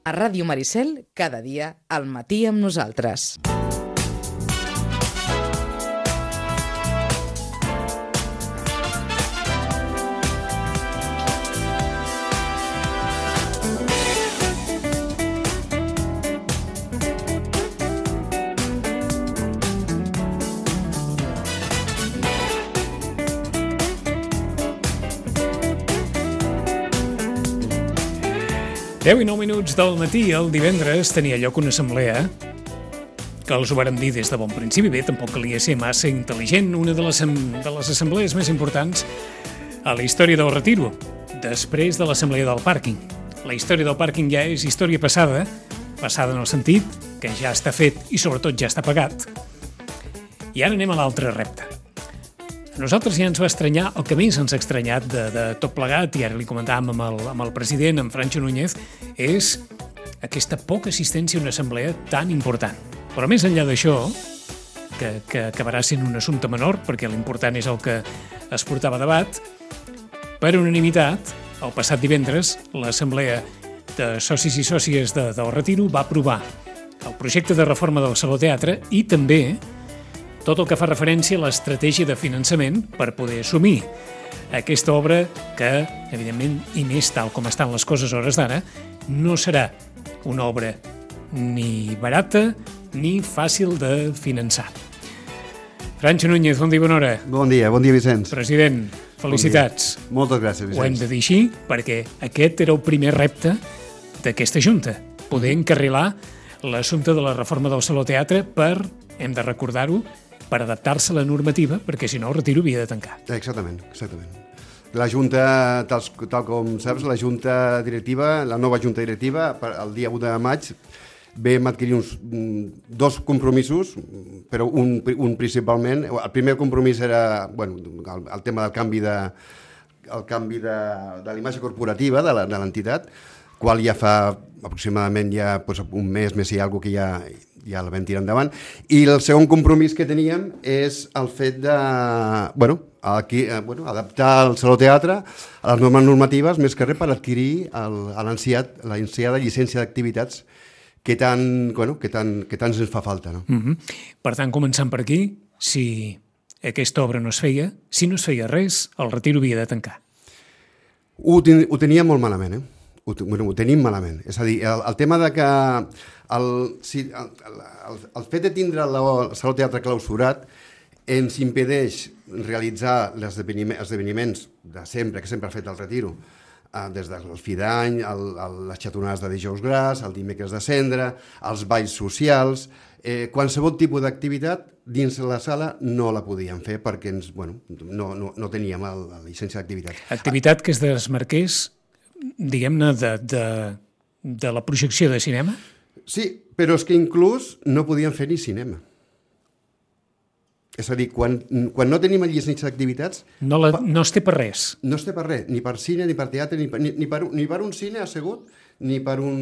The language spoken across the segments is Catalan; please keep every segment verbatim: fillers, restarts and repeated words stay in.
A Ràdio Maricel, cada dia, al matí amb nosaltres. deu i nou minuts del matí, el divendres, tenia lloc una assemblea que els ho vàrem dir des de bon principi. Bé, tampoc calia ser massa intel·ligent, una de les, de les assemblees més importants a la història del Retiro, després de l'assemblea del pàrquing. La història del pàrquing ja és història passada, passada en el sentit que ja està fet i sobretot ja està pagat. I ara anem a l'altre repte. A nosaltres ja ens va estranyar, el que més ens ha estranyat de, de tot plegat, i ara li comentàvem amb el, amb el president, amb Francho Núñez, és aquesta poca assistència a una assemblea tan important. Però més enllà d'això, que, que acabarà sent un assumpte menor, perquè l'important és el que es portava a debat, per unanimitat, el passat divendres, l'assemblea de socis i sòcies de, del Retiro va aprovar el projecte de reforma del Saló Teatre i també tot el que fa referència a l'estratègia de finançament per poder assumir aquesta obra que, evidentment, i més tal com estan les coses a hores d'ara, no serà una obra ni barata ni fàcil de finançar. Francho Núñez, bon dia, bona hora. Bon dia, bon dia, Vicenç. President, felicitats. Bon Moltes gràcies, Vicenç. Ho hem de dir així perquè aquest era el primer repte d'aquesta Junta, poder encarrilar l'assumpte de la reforma del Saló Teatre per, hem de recordar-ho, per adaptar-se a la normativa, perquè si no el Retiro havia de tancar. Exactament, exactament. La Junta, tal, tal com saps, la Junta Directiva, la nova Junta Directiva, el dia u de maig, vam adquirir uns dos compromisos, però un, un principalment. El primer compromís era bueno, el, el tema del canvi de, el canvi de, de la imatge corporativa de l'entitat, qual ja fa aproximadament ja, doncs, un mes, més i alguna que ja... ja la vam tirar endavant, i el segon compromís que teníem és el fet de bueno, aquí, eh, bueno, adaptar el Saló Teatre a les normes normatives, més que res per adquirir l'ansiada llicència d'activitats que tant, bueno, que tant, que tant ens fa falta. No? Mm-hmm. Per tant, començant per aquí, si aquesta obra no es feia, si no es feia res, el Retiro havia de tancar. Ho, ten, ho tenia molt malament, eh? Ho, bueno, ho tenim malament. És a dir, el, el tema de que el, si, el, el, el fet de tindre el, el Saló Teatre clausurat ens impedeix realitzar els esdeveniments, esdeveniments de sempre, que sempre ha fet el Retiro, eh, des del fi d'any, el, el, les xatonades de dijous gras, el dimecres de cendra, els balls socials, eh, qualsevol tipus d'activitat dins la sala no la podíem fer perquè ens, bueno, no, no, no teníem la, la llicència d'activitat. Activitat que es desmarqués, diguem-ne, de, de, de la projecció de cinema? Sí, però és que inclús no podíem fer ni cinema. És a dir, quan, quan no tenim llicència d'activitats... No, la, no es té per res. No es té per res, ni per cine, ni per teatre, ni per, ni, ni per, ni per un cine assegut, ni per un,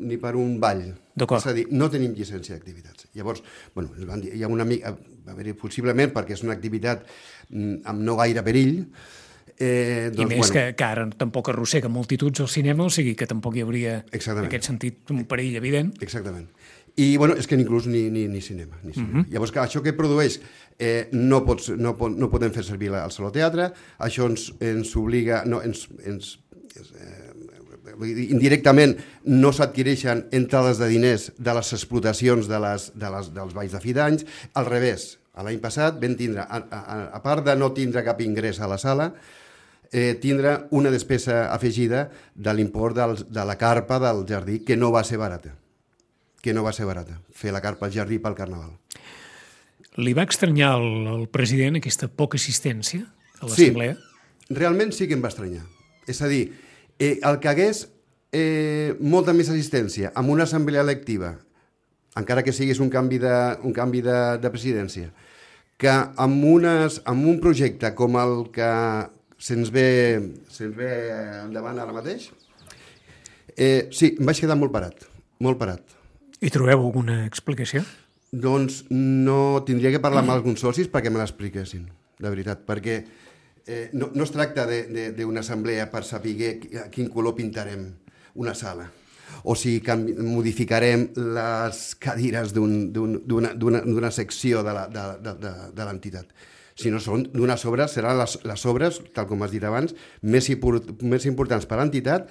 ni per un ball. D'acord. És a dir, no tenim llicència d'activitats. Llavors, bueno, hi ha una mica, a veure, possiblement perquè és una activitat amb no gaire perill. Eh, doncs, I més bueno, que, que ara tampoc arrossega multituds al cinema, o sigui que tampoc hi hauria, en aquest sentit, un perill evident. Exactament. I, bueno, és que inclús ni, ni, ni cinema. Ni cinema. Uh-huh. Llavors, que això que produeix, eh, no, pots, no, pot, no podem fer servir el Saló Teatre, això ens, ens obliga, no, ens, ens, eh, indirectament no s'adquireixen entrades de diners de les explotacions de les, de les, dels balls de fi d'anys, al revés. L'any passat vam tindre, a, a, a part de no tindre cap ingrés a la sala, eh, tindre una despesa afegida de l'import del, de la carpa del jardí, que no va ser barata. Que no va ser barata, fer la carpa al jardí pel Carnaval. Li va estranyar al, al president aquesta poca assistència a l'assemblea? Sí, realment sí que em va estranyar. És a dir, eh, el que hagués eh, molta més assistència amb una assemblea electiva, encara que siguis un canvi de, un canvi de, de presidència, que amb, unes, amb un projecte com el que se'ns ve, se'ns ve endavant ara mateix, eh, sí, em vaig quedar molt parat, molt parat. I trobeu alguna explicació? Doncs no tindria que parlar amb alguns socis perquè me l'expliquessin, de veritat, perquè eh, no, no es tracta d'una assemblea per saber a quin color pintarem una sala, o si canvi, modificarem les cadires d'una secció de l'entitat. Si no són d'unes obres, seran les, les obres, tal com has dit abans, més, més importants per a l'entitat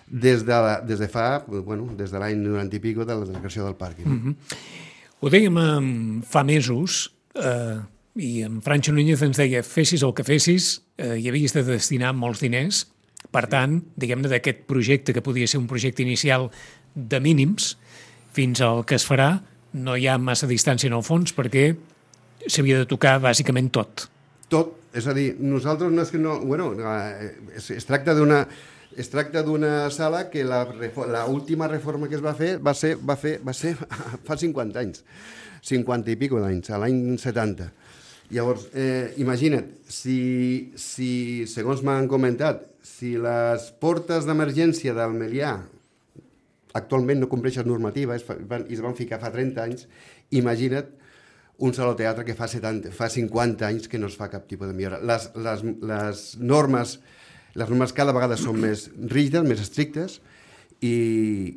des de, des de fa, bueno, des de l'any noranta i pico de la, de la creació del parc. Mm-hmm. Ho dèiem um, fa mesos, eh, i en Francho Núñez ens deia fessis el que fessis, eh, hi havies de destinar molts diners. Per tant, diguem-ne, d'aquest projecte, que podia ser un projecte inicial de mínims, fins al que es farà, no hi ha massa distància en el fons, perquè s'havia de tocar bàsicament tot. Tot, és a dir, nosaltres no és que no... Bueno, es, es tracta d'una... Es tracta d'una sala que la, la última reforma que es va fer va ser, va fer, va ser fa cinquanta anys, cinquanta i pico d'anys, a l'any setanta. Llavors, eh, imagina't, si, si, segons m'han comentat, si les portes d'emergència del Melià actualment no compleixen normativa i es van ficar fa trenta anys, imagina't un saló teatre que fa, setanta, fa cinquanta anys que no es fa cap tipus de millora. Les, les, les, normes, les normes cada vegada són més rígides, més estrictes, i,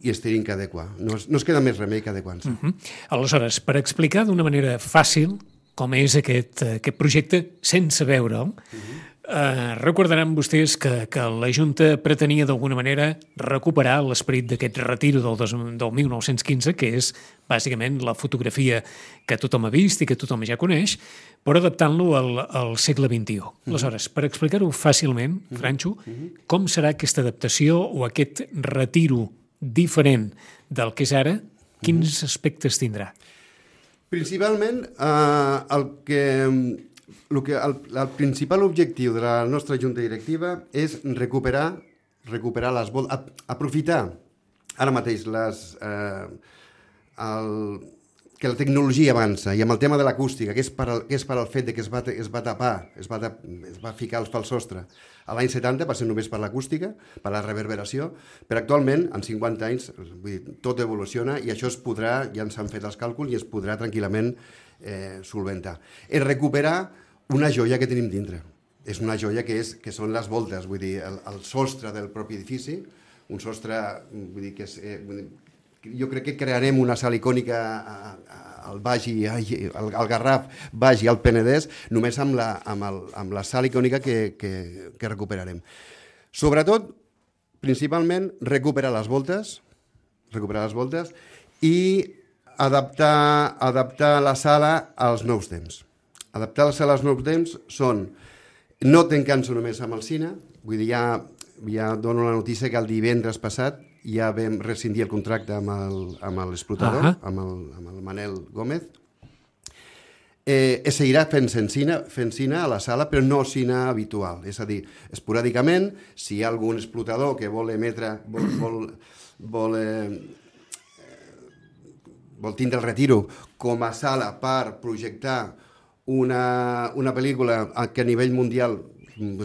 i es tenen que adequar. No es, no es queda més remei que adequar-se. Uh-huh. Aleshores, per explicar d'una manera fàcil com és aquest, aquest projecte sense veure'l, uh-huh. eh, recordaran vostès que, que la Junta pretenia d'alguna manera recuperar l'esperit d'aquest retiro del, dos, del mil nou-cents quinze, que és bàsicament la fotografia que tothom ha vist i que tothom ja coneix, però adaptant-lo al, al segle vint-i-u. Uh-huh. Aleshores, per explicar-ho fàcilment, uh-huh. Francho, uh-huh. com serà aquesta adaptació o aquest retiro diferent del que és ara, quins uh-huh. aspectes tindrà? Principalment, eh, el, que, el, que, el, el principal objectiu de la nostra junta directiva és recuperar, recuperar les voltes, aprofitar ara mateix les, eh, el, que la tecnologia avança, i amb el tema de l'acústica, que és per al, que és per al fet de que es va, es va tapar, es va, es va ficar pel sostre a l'any setanta, va ser només per l'acústica, per la reverberació, però actualment, en cinquanta anys, vull dir, tot evoluciona i això es podrà, ja ens han fet els càlculs, i es podrà tranquil·lament eh, solventar. És recuperar una joia que tenim dintre. És una joia que, és, que són les voltes, vull dir, el, el sostre del propi edifici, un sostre, vull dir, que és... Eh, vull dir, jo crec que crearem una sala icònica al Baix i al, al Garraf, Baix i al Penedès, només amb la, amb el, amb la sala icònica que, que, que recuperarem. Sobretot, principalment, recuperar les voltes, recuperar les voltes i adaptar, adaptar la sala als nous temps. Adaptar la sala als nous temps són no tancant-se només amb el cine, vull dir, ja, ja dono la notícia que el divendres passat ja vam rescindir el contracte amb l'explotador, uh-huh. amb, el, amb el Manel Gómez. Eh, es seguirà fent cine, fent cine a la sala, però no cine habitual. És a dir, esporàdicament, si hi ha algun explotador que vol emetre, vol, vol, vol, eh, vol tindre el retiro com a sala per projectar una, una pel·lícula que a nivell mundial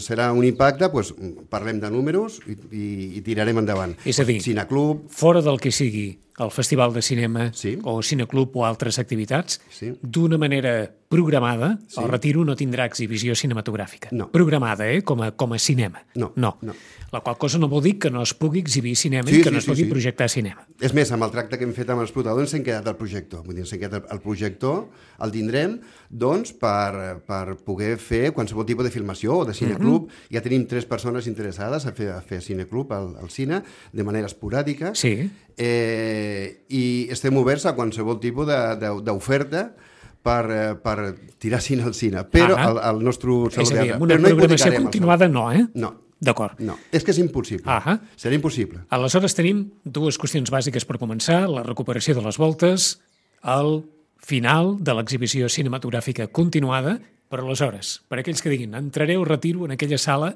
serà un impacte, doncs parlem de números i, i, i tirarem endavant. És a dir, Cineclub, fora del que sigui el Festival de Cinema sí. o Cineclub o altres activitats, sí. d'una manera programada, sí. el retiro no tindrà exhibició cinematogràfica. No. Programada, eh? Com a, com a cinema. No. no. no. La qual cosa no vol dir que no es pugui exhibir cinema sí, i que sí, no es sí, pugui sí. projectar cinema. És més, amb el tracte que hem fet amb l'explotador ens hem quedat el projector. Vull dir, ens hem quedat el projector, el tindrem, doncs, per, per poder fer qualsevol tipus de filmació o de cineclub. Mm-hmm. Ja tenim tres persones interessades a fer, a fer cineclub al, al cine, de manera esporàdica. Sí. Eh, I estem oberts a qualsevol tipus d'oferta per, per tirar cine al cine. Però ah, el, el nostre saló és a dir, teatre... una no programació continuada no, eh? No. D'acord. No, és que és impossible. Ah Serà impossible. Aleshores tenim dues qüestions bàsiques per començar, la recuperació de les voltes, el final de l'exhibició cinematogràfica continuada, però aleshores, per aquells que diguin, entraré o retiro en aquella sala,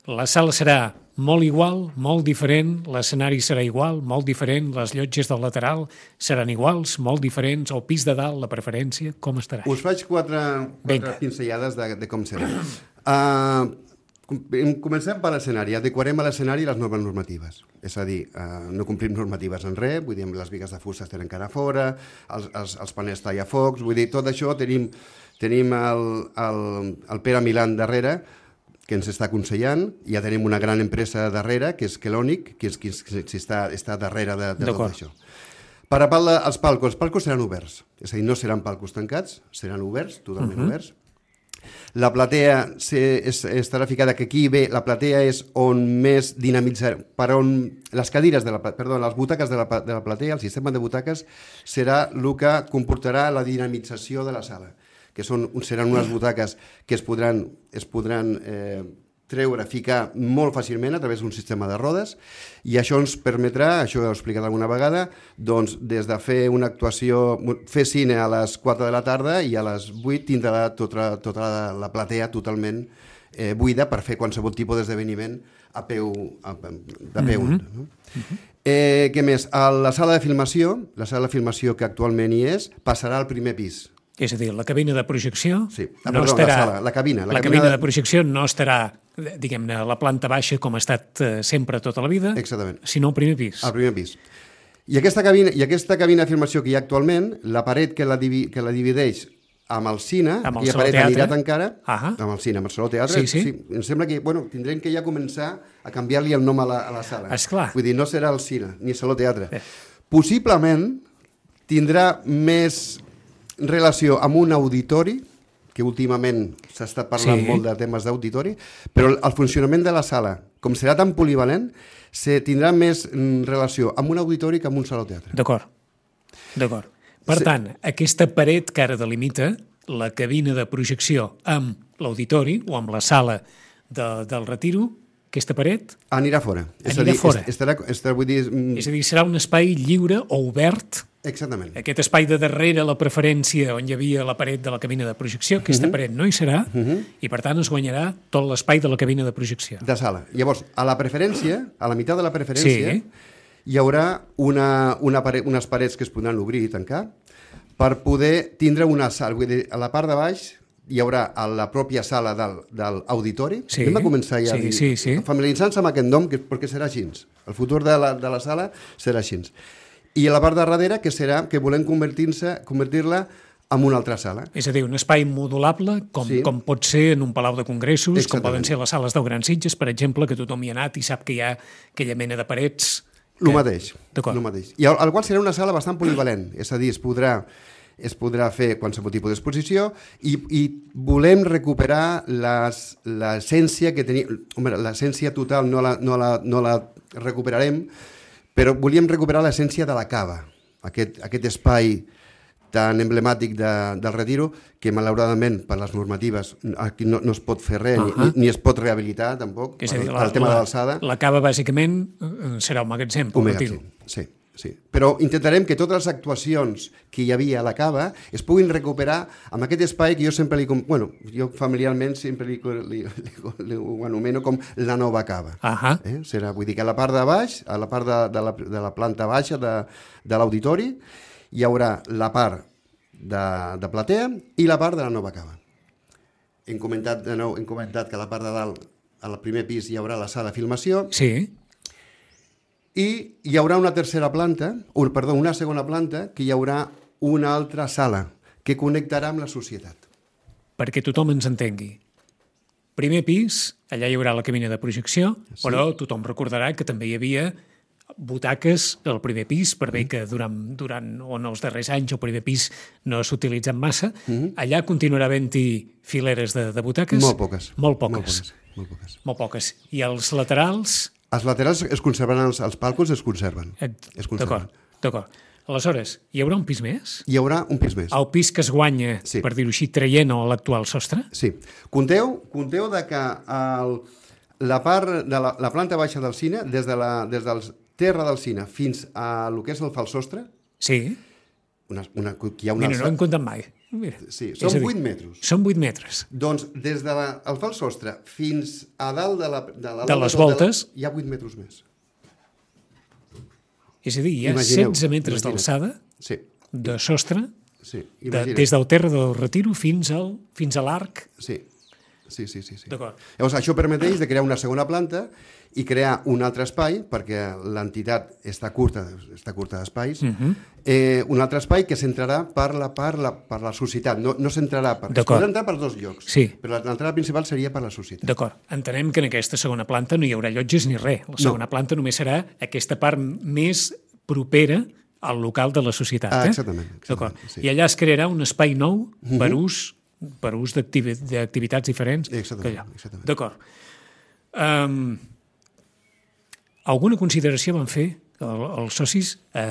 la sala serà molt igual, molt diferent, l'escenari serà igual, molt diferent, les llotges del lateral seran iguals, molt diferents, el pis de dalt, la preferència, com estarà? Us faig quatre, quatre pinzellades de, de com serà. Uh, Comencem per l'escenari. Adequarem a l'escenari les noves normatives. És a dir, eh, no complim normatives en res, vull dir, les bigues de fusta estan encara fora, els, els, els panels tallafocs, vull dir, tot això tenim, tenim el, el, el Pere Milán darrere, que ens està aconsellant, ja tenim una gran empresa darrere, que és Kelonic, que, és, que, és, que està, està darrere de, de tot això. Per a part dels palcos, els palcos seran oberts, és a dir, no seran palcos tancats, seran oberts, totalment uh -huh. oberts. La platea se, es, estarà ficada, que aquí bé, la platea és on més dinamitzar, per on les cadires, de la, perdó, les butaques de la, de la platea, el sistema de butaques, serà el que comportarà la dinamització de la sala, que són, seran unes butaques que es podran, es podran eh, treure, ficar molt fàcilment a través d'un sistema de rodes, i això ens permetrà, això ho he explicat alguna vegada, doncs des de fer una actuació, fer cine a les quatre de la tarda i a les vuit tindrà tota, tota la, la platea totalment eh, buida per fer qualsevol tipus d'esdeveniment a peu, a, de peu. Mm-hmm. No? Mm-hmm. Eh, què més? A la sala de filmació, la sala de filmació que actualment hi és, passarà al primer pis. És a dir, la cabina de projecció sí. ah, no perdó, estarà... La, sala, la cabina. La, la cabina, cabina de... de... de projecció no estarà, diguem-ne, a la planta baixa com ha estat eh, sempre tota la vida, exactament, sinó al primer pis. Al primer pis. I aquesta cabina, i aquesta cabina de filmació que hi ha actualment, la paret que la, divi, que la divideix amb el cine, amb el aquella paret teatre. anirà tancada, ah amb el cine, amb el saló teatre, sí, sí. sí, em sembla que, bueno, tindrem que ja començar a canviar-li el nom a la, a la sala. Esclar. Vull dir, no serà el cine, ni el saló teatre. Eh. Possiblement tindrà més relació amb un auditori, que últimament s'ha estat parlant sí. molt de temes d'auditori, però el funcionament de la sala, com serà tan polivalent, se tindrà més relació amb un auditori que amb un saló teatre. D'acord, d'acord. Per sí. tant, aquesta paret que ara delimita la cabina de projecció amb l'auditori o amb la sala de, del retiro, aquesta paret... Anirà fora. Anirà és a dir, fora. Estarà, estarà, vull dir, és a dir, serà un espai lliure o obert. Exactament. Aquest espai de darrere la preferència on hi havia la paret de la cabina de projecció, aquesta uh-huh. paret no hi serà, uh-huh. i per tant es guanyarà tot l'espai de la cabina de projecció. De sala. Llavors, a la preferència, a la meitat de la preferència, sí. hi haurà una, una paret, unes parets que es podran obrir i tancar per poder tindre una sala. Vull dir, a la part de baix hi haurà a la pròpia sala del, del auditori. Sí. Hem de començar ja sí, a dir, sí, sí. familiaritzant-se amb aquest nom, que, perquè serà així. El futur de la, de la sala serà així. I a la part de darrere, que serà que volem convertir-se, convertir-la en una altra sala. És a dir, un espai modulable, com, sí. com pot ser en un palau de congressos, exactament. Com poden ser les sales del Gran Sitges, per exemple, que tothom hi ha anat i sap que hi ha aquella mena de parets... Que... El mateix, el mateix. I al, al qual serà una sala bastant polivalent, és a dir, es podrà, es podrà fer qualsevol tipus d'exposició i, i volem recuperar l'essència que tenim... Home, l'essència total no la, no, la, no la recuperarem, però volíem recuperar l'essència de la cava, aquest, aquest espai tan emblemàtic de, del Retiro, que malauradament per les normatives aquí no, no es pot fer res, uh-huh. ni, ni es pot rehabilitar tampoc, per, dir, la, per el tema la, de l'alçada. La cava bàsicament serà un magatzem, un magatzem, sí, sí. Però intentarem que totes les actuacions que hi havia a la cava es puguin recuperar amb aquest espai que jo sempre li... Bueno, jo familiarment sempre li, li, li, li ho anomeno com la nova cava. Uh-huh. eh? Serà, vull dir que a la part de baix, a la part de, de, la, de la planta baixa de, de l'auditori, hi haurà la part de, de platea i la part de la nova cava. Hem comentat, de nou, hem comentat que a la part de dalt, al primer pis, hi haurà la sala de filmació. Sí. I hi haurà una tercera planta, o, perdó, una segona planta, que hi haurà una altra sala que connectarà amb la societat. Perquè tothom ens entengui. Primer pis, allà hi haurà la cabina de projecció, sí. Però tothom recordarà que també hi havia butaques al primer pis, per bé que durant, durant o en els darrers anys el primer pis no s'ha utilitzat massa. Mm-hmm. Allà continuarà havent-hi fileres de, de butaques? Molt poques. Molt poques. Molt poques. Molt poques. Molt poques. I els laterals? Els laterals es conserven, els, els palcos es conserven. Et... Es conserven. D'acord, d'acord. Aleshores, hi haurà un pis més? Hi haurà un pis més. El pis que es guanya, sí. Per dir-ho així, traient l'actual sostre? Sí. Compteu, compteu de que el, la part de la, la planta baixa del cine, des, de la, des dels terra del cine fins a lo que és el falsostre, sí. Una, una, hi ha una Mira, no ho hem comptat mai. Mira. Sí, són vuit metres. Són vuit metres. Doncs des del de falsostre fins a dalt de, la, de, la, de les voltes de la, hi ha vuit metres més. És a dir, hi ha imagineu, setze metres d'alçada, sí. De sostre, sí, de, des del terra del Retiro fins al fins a l'arc. Sí. Sí, sí, sí. sí. D'acord. Llavors, això permeteix de crear una segona planta i crear un altre espai, perquè l'entitat està curta, està curta d'espais, uh-huh. eh, un altre espai que s'entrarà per la, per la, per la societat. No, no s'entrarà per... Es podrà entrar per dos llocs, sí. però l'entrada principal seria per la societat. D'acord. Entenem que en aquesta segona planta no hi haurà llotges ni res. La segona no. planta només serà aquesta part més propera al local de la societat. Ah, eh? exactament. exactament sí. I allà es crearà un espai nou uh-huh. per ús per ús d'activitats diferents. Exactament. exactament. D'acord. Um, alguna consideració van fer el, els socis a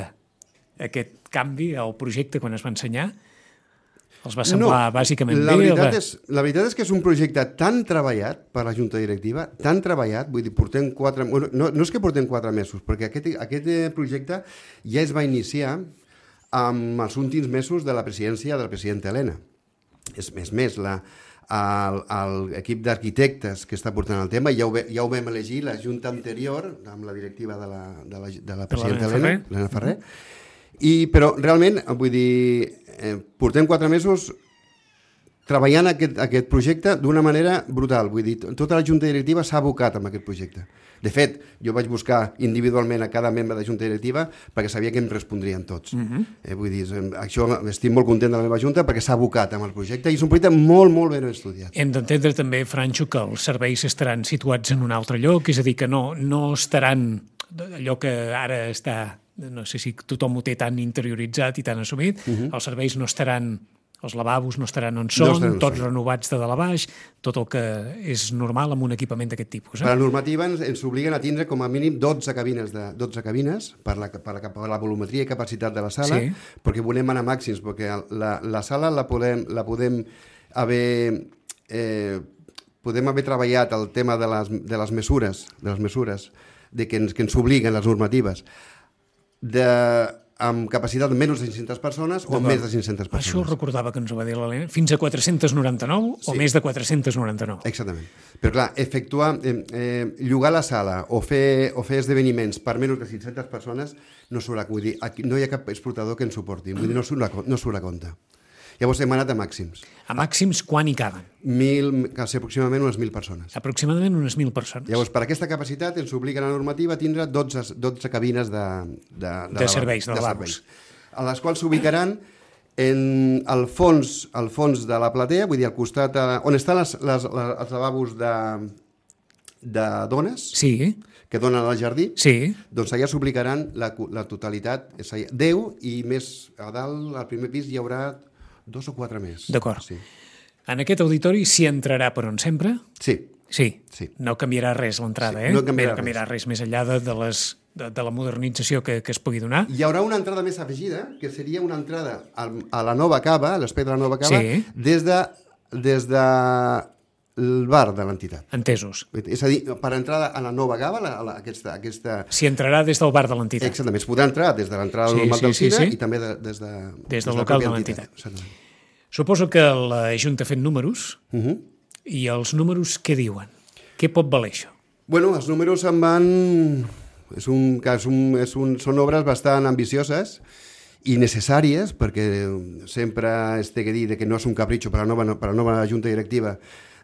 aquest canvi al projecte quan es va ensenyar? Els va semblar no, bàsicament la bé? Veritat va... és, la veritat és que és un projecte tan treballat per la Junta Directiva, tan treballat, vull dir, portem quatre... No, no és que portem quatre mesos, perquè aquest, aquest projecte ja es va iniciar amb els últims mesos de la presidència de la presidenta Helena. És més, més la, l'equip d'arquitectes que està portant el tema, ja ho, ja ho vam elegir la Junta anterior, amb la directiva de la, de la, de la presidenta Helena, Helena Ferrer, i, però realment, vull dir, eh, portem quatre mesos treballant aquest, aquest projecte d'una manera brutal, vull dir, tota la Junta Directiva s'ha abocat amb aquest projecte. De fet, jo vaig buscar individualment a cada membre de Junta Directiva perquè sabia que em respondrien tots. Uh-huh. eh, vull dir, això estic molt content de la meva Junta perquè s'ha abocat amb el projecte i és un projecte molt, molt ben estudiat. Hem d'entendre també, Franxo, que els serveis estaran situats en un altre lloc, és a dir, que no, no estaran allò que ara està, no sé si tothom ho té tan interioritzat i tan assumit, uh-huh. els serveis no estaran... Els lavabos no estaran on són, no tots renovats de dalt a baix, tot el que és normal amb un equipament d'aquest tipus. Eh? Per la normativa ens, ens obliguen a tindre com a mínim dotze cabines, de, dotze cabines per, la, per, la, per la volumetria i capacitat de la sala, sí. perquè volem anar màxims, perquè la, la sala la podem, la podem haver... Eh, podem haver treballat el tema de les, de les mesures, de les mesures de que ens, que ens obliguen les normatives, de... amb capacitat de menys de cinc-centes persones o més de cinc-centes persones. Això recordava que ens ho va dir l'Helena. Fins a quatre-cents noranta-nou sí. o més de quatre-cents noranta-nou. Exactament. Però clar, efectuar, eh, eh, llogar la sala o fer, o fer esdeveniments per menys de cinc-centes persones no surt a, vull dir, aquí no hi ha cap exportador que ens suporti. Vull dir, no surt a, no surt a compte. Llavors hem anat a màxims. A màxims quan hi caben? Mil, quasi aproximadament unes mil persones. Aproximadament unes mil persones. Llavors, per aquesta capacitat ens obliga la normativa a tindre dotze, dotze cabines de, de, de, de serveis, de, de lavabos. A les quals s'ubicaran en el fons, el fons de la platea, vull dir, al costat, a, on estan les, les, les, els lavabos de, de dones, sí. que donen al jardí, sí. doncs allà s'ubicaran la, la totalitat, és allà, deu, i més a dalt, al primer pis, hi haurà dos o quatre més. D'acord. Sí. En aquest auditori s'hi entrarà per on sempre? Sí. Sí. sí. No canviarà res l'entrada, sí. eh? No canviarà, Bé, no canviarà res. res més enllà de, de, les, de, de la modernització que, que es pugui donar. Hi haurà una entrada més afegida, que seria una entrada a, a la nova cava, a l'espai de la nova cava, sí. des de, des de el bar de l'entitat. Entesos. És a dir, per entrar a la nova cava, a la, aquesta... aquesta... S'hi entrarà des del bar de l'entitat. Exactament, es podrà entrar des de l'entrada sí, normal sí, del cine sí, sí. i també de, des, de, des, des del local de l'entitat. Suposo que la Junta ha fet números uh-huh. i els números què diuen? Què pot valer això? Bueno, els números em van... És un, és un, és un, són obres bastant ambicioses i necessàries, perquè sempre es té que dir que no és un capritxo per a la nova, per a la nova Junta Directiva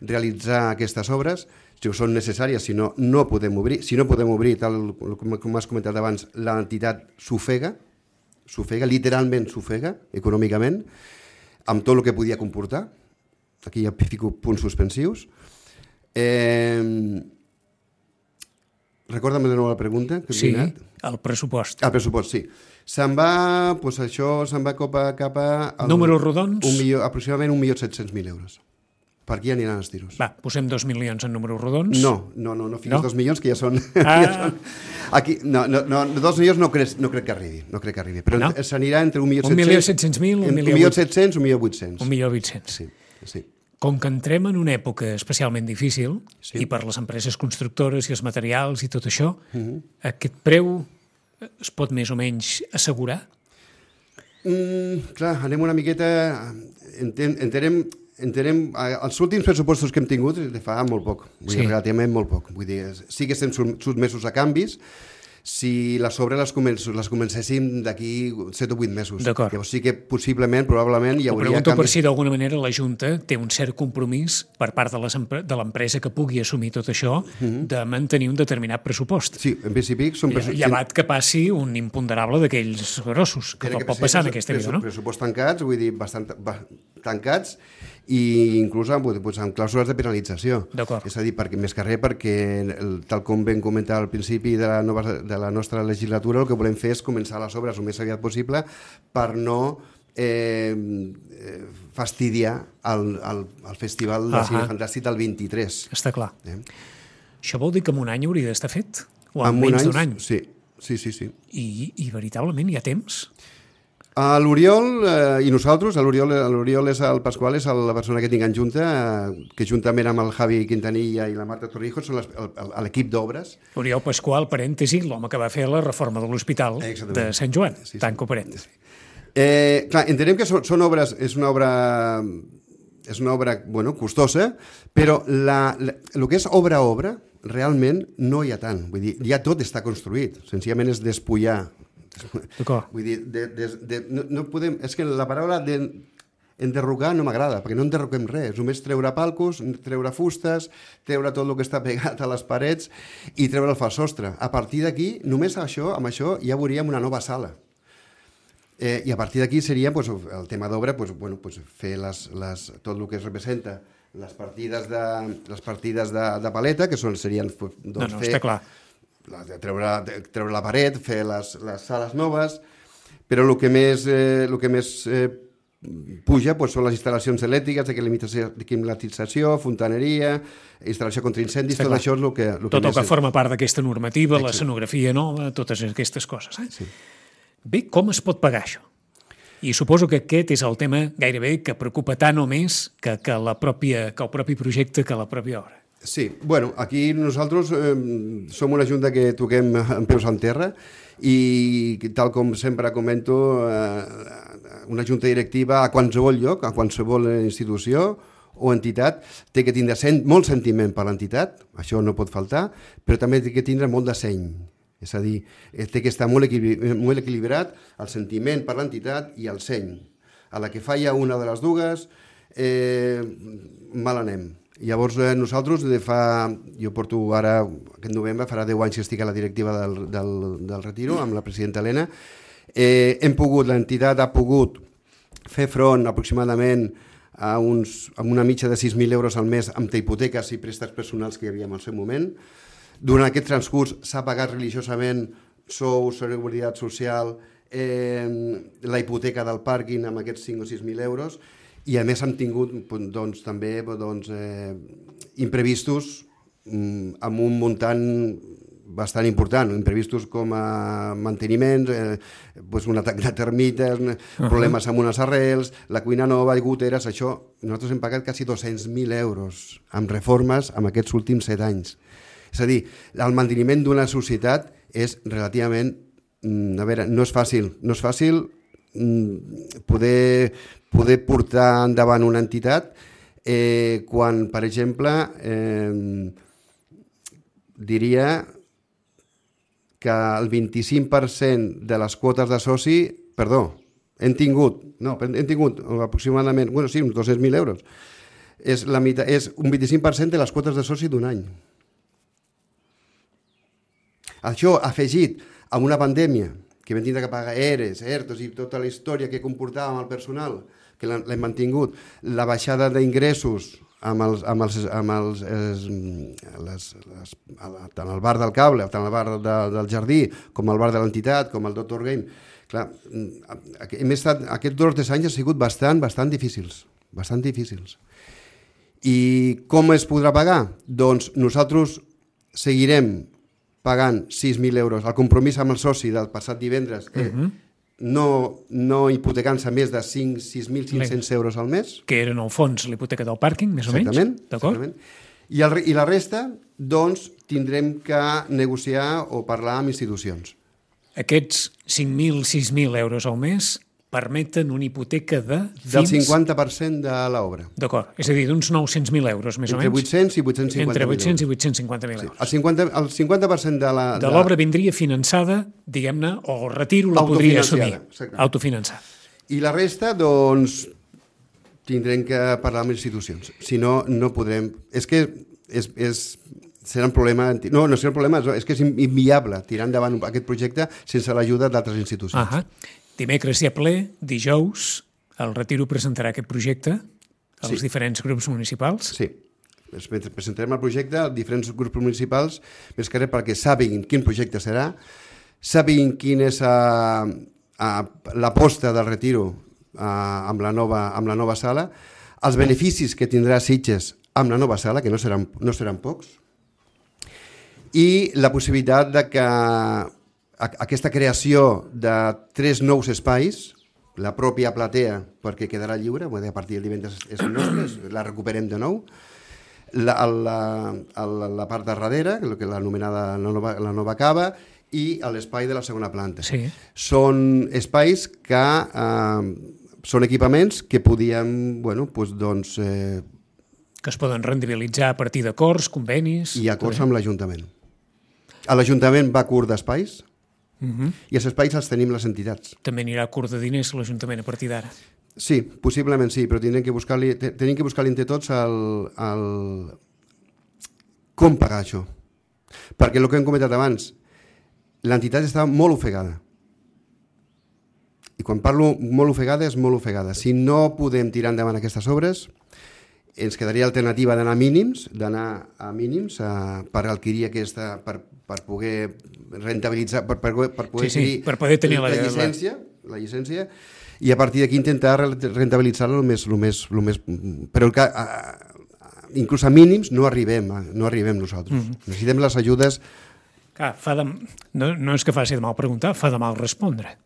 realitzar aquestes obres, si són necessàries, si no, no podem obrir. Si no podem obrir, tal com, com has comentat abans, l'entitat s'ofega, s'ofega, literalment s'ofega, econòmicament, amb tot el que podia comportar. Aquí ja fico punts suspensius. Eh... Recorda'm de nou la pregunta. Que sí, el pressupost. El pressupost, sí. Se'n va, doncs això, se'n va cap a... Cap a el, números rodons? Un milió, aproximadament un milió set-cents mil euros. Per aquí aniran els tiros. Va, posem dos milions en números rodons. No, no, no, no fins no? dos milions, que ja són... Ah. ja són aquí, no, no, no, dos milions no crec, no crec que arribi, no crec que arribi, però no? s'anirà entre un milió set-cents mil, un milió set-cents, un milió vuit-cents. Un milió vuit-cents. Sí, sí. Com que entrem en una època especialment difícil, sí. i per les empreses constructores i els materials i tot això, uh-huh. aquest preu es pot més o menys assegurar? Mm, clar, anem una miqueta... Enten, entenem... Entenem, els últims pressupostos que hem tingut de fa molt poc, vull sí. dir, relativament molt poc. Vull dir, sí que estem sotmesos a canvis, si les obres les, començ, les comencéssim d'aquí set o vuit mesos. D'acord. Llavors sí que possiblement, probablement, hi Ho hauria pregunto per canvis. si d'alguna manera la Junta té un cert compromís per part de les empre- de l'empresa que pugui assumir tot això de mantenir un determinat pressupost. Sí, en principi són... Lle- pressu- Llevat que passi un imponderable d'aquells grossos, que Tiene pot ser passar en pressu- aquesta vida, pressu- no? Pressupost tancats, vull dir, bastant ba, tancats, i inclús amb, doncs, amb clàusules de penalització. D'acord. És a dir, perquè, més que res, perquè el, tal com vam comentar al principi de la, nova, de la nostra legislatura, el que volem fer és començar les obres el més aviat possible per no eh, eh, fastidiar el, el, el Festival de Ahà. Cine Fantàstic del vint-i-tres. Està clar. Eh? Això vol dir que en un any hauria d'estar fet? O en Amb un menys any, d'un any? Sí, sí, sí. sí. I, I veritablement hi ha temps? A l'Oriol eh, i nosaltres, a l'Oriol l'Oriol és el Pasqual, és el, la persona que tinc en junta, eh, que juntament amb el Javi Quintanilla i la Marta Torrijos són les, el, el, l'equip d'obres. Oriol Pasqual, parèntesi, l'home que va fer la reforma de l'Hospital Exactament. de Sant Joan, Sí, sí. tanco parèntesi. Eh, clar, entenem que són, són obres, és una obra, és una obra bueno, costosa, però la, la, el que és obra a obra, realment no hi ha tant. Vull dir, ja tot està construït, senzillament és despullar. D'acord. Vull dir, de, de, de, no, no podem... És que la paraula de, enderrocar no m'agrada, perquè no enderroquem res, només treure palcos, treure fustes, treure tot el que està pegat a les parets i treure el falsostre. A partir d'aquí, només això, amb això ja veuríem una nova sala. Eh, I a partir d'aquí seria pues, el tema d'obra, pues, bueno, pues, fer les, les, tot el que es representa, les partides de, les partides de, de paleta, que són, serien... Pues, doncs, No, no, fer, està clar. la, de treure, de treure la paret, fer les, les sales noves, però el que més, eh, el que més eh, puja pues, són les instal·lacions elèctriques, de climatització, de climatització, fontaneria, instal·lació contra incendis, Està tot clar. això és el que, el Tot que el més... que forma part d'aquesta normativa, Exacte. l'escenografia nova, totes aquestes coses. Eh? Sí. Bé, com es pot pagar això? I suposo que aquest és el tema gairebé que preocupa tant o més que, que, la pròpia, que el propi projecte, que la pròpia obra. Sí, bueno, aquí nosaltres eh, som una junta que toquem en peus en terra i tal com sempre comento, eh, una junta directiva a qualsevol lloc, a qualsevol institució o entitat, té que tindre sent, molt sentiment per l'entitat, això no pot faltar, però també té que tindre molt de seny. És a dir, té que estar molt, equilibri, molt equilibrat el sentiment per l'entitat i el seny. A la que falla una de les dues, eh, mal anem. Llavors eh, nosaltres de fa, jo porto ara, aquest novembre, farà deu anys que estic a la directiva del, del, del Retiro, amb la presidenta Helena, eh, hem pogut, l'entitat ha pogut fer front aproximadament a, uns, a una mitja de sis mil euros al mes amb hipoteques i préstecs personals que hi havia en el seu moment. Durant aquest transcurs s'ha pagat religiosament sou, seguretat social, eh, la hipoteca del pàrquing amb aquests cinc o sis mil euros, i a més hem tingut doncs, també doncs, eh, imprevistos mm, amb un muntant bastant important, imprevistos com a manteniments, eh, doncs un atac de termites, uh-huh. problemes amb unes arrels, la cuina nova, goteres, això, nosaltres hem pagat quasi dos-cents mil euros amb reformes en aquests últims set anys. És a dir, el manteniment d'una societat és relativament, mm, a veure, no és fàcil, no és fàcil mm, poder, poder portar endavant una entitat eh, quan, per exemple, eh, diria que el vint-i-cinc per cent de les quotes de soci, perdó, hem tingut, no, hem tingut aproximadament, bueno, sí, uns dos-cents mil euros, és, la meitat, és un vint-i-cinc per cent de les quotes de soci d'un any. Això afegit a una pandèmia, que vam tindre que pagar E R Es, E R Tos i tota la història que comportava amb el personal, que l'hem mantingut, la baixada d'ingressos amb els, amb els, amb els es, les, les, tant el bar del cable, tant el bar de, del jardí, com el bar de l'entitat, com el Doctor Game. Clar, hem estat, aquests dos o tres anys han sigut bastant, bastant difícils, bastant difícils. I com es podrà pagar? Doncs nosaltres seguirem pagant sis mil euros. El compromís amb el soci del passat divendres eh, uh-huh. no, no hipotecant-se més de cinc sis mil cinc-cents euros al mes. Que era, en el fons, l'hipoteca del pàrquing, més o menys. Exactament. D'acord? Exactament. I, el, I la resta, doncs, tindrem que negociar o parlar amb institucions. Aquests cinc mil, sis mil euros al mes permeten una hipoteca de... Fins... Del cinquanta per cent de l'obra. D'acord, és a dir, d'uns nou-cents mil euros, més Entre o menys. vuit-cents i vuit-cents cinquanta mil Entre vuit-cents i euros. vuit-cents cinquanta mil Sí. euros. El cinquanta, el cinquanta per cent de la... De l'obra vindria finançada, diguem-ne, o el retiro la podria assumir. Autofinanciada, Autofinançar. I la resta, doncs, tindrem que parlar amb institucions. Si no, no podrem... És que és, és, serà un problema... No, no serà un problema, és que és inviable tirar endavant aquest projecte sense l'ajuda d'altres institucions. Ahà. Dimecres hi ha ple, dijous el Retiro presentarà aquest projecte als Sí. diferents grups municipals. Sí. Es presentarem el projecte als diferents grups municipals, més que res perquè sàpiguin quin projecte serà, sàpiguin quina és uh, uh, l'aposta del Retiro uh, amb, la nova, amb la nova sala, els beneficis que tindrà Sitges amb la nova sala, que no seran, no seran pocs, i la possibilitat de que aquesta creació de tres nous espais, la pròpia platea, perquè quedarà lliure, a partir del divendres és nostre, la recuperem de nou, la, la, la, la part de darrere, que l'anomenada la nova, la nova cava, i l'espai de la segona planta. Sí. Són espais que eh, són equipaments que podíem, bueno, pues, doncs, eh, Que es poden rendibilitzar a partir d'acords, convenis... i acords amb l'Ajuntament. L'Ajuntament va curt d'espais, Uh -huh. i els espais els tenim les entitats. També anirà curt de diners l'Ajuntament a partir d'ara. Sí, possiblement sí, però tenim que buscar-li tenim que buscar-li entre tots el, el... com pagar això. Perquè el que hem comentat abans, l'entitat està molt ofegada. I quan parlo molt ofegada, és molt ofegada. Si no podem tirar endavant aquestes obres, ens quedaria alternativa d'anar a mínims, d'anar a mínims a, per adquirir aquesta, per, per poder rentabilitzar, per, per, per poder Sí, sí, per poder tenir la- la llicència, la llicència, i a partir d'aquí intentar rentabilitzar-lo el més, el més, el més... Però que, a, a, inclús a mínims no arribem, a, no arribem nosaltres. Mm. Necessitem les ajudes... Clar, fa de... no, no és que faci de mal preguntar, fa de mal respondre.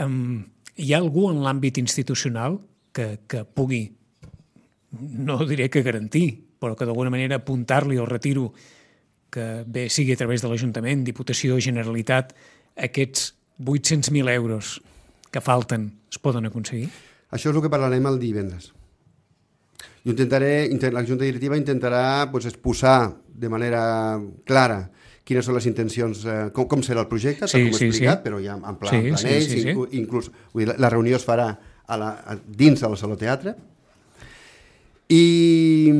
Um, hi ha algú en l'àmbit institucional que, que pugui, no diré que garantir, però que d'alguna manera apuntar-li al retiro que bé sigui a través de l'Ajuntament, Diputació, Generalitat, aquests vuit-cents mil euros que falten es poden aconseguir? Això és el que parlarem el divendres. Jo intentaré, la Junta Directiva intentarà pues, exposar de manera clara quines són les intencions, eh, com, com serà el projecte, Sí, tal com he sí, explicat, sí. però ja en pla, Sí, en planells, sí, sí, sí. inclús, inclús vull dir, la reunió es farà a la, a, dins del Saló Teatre, i,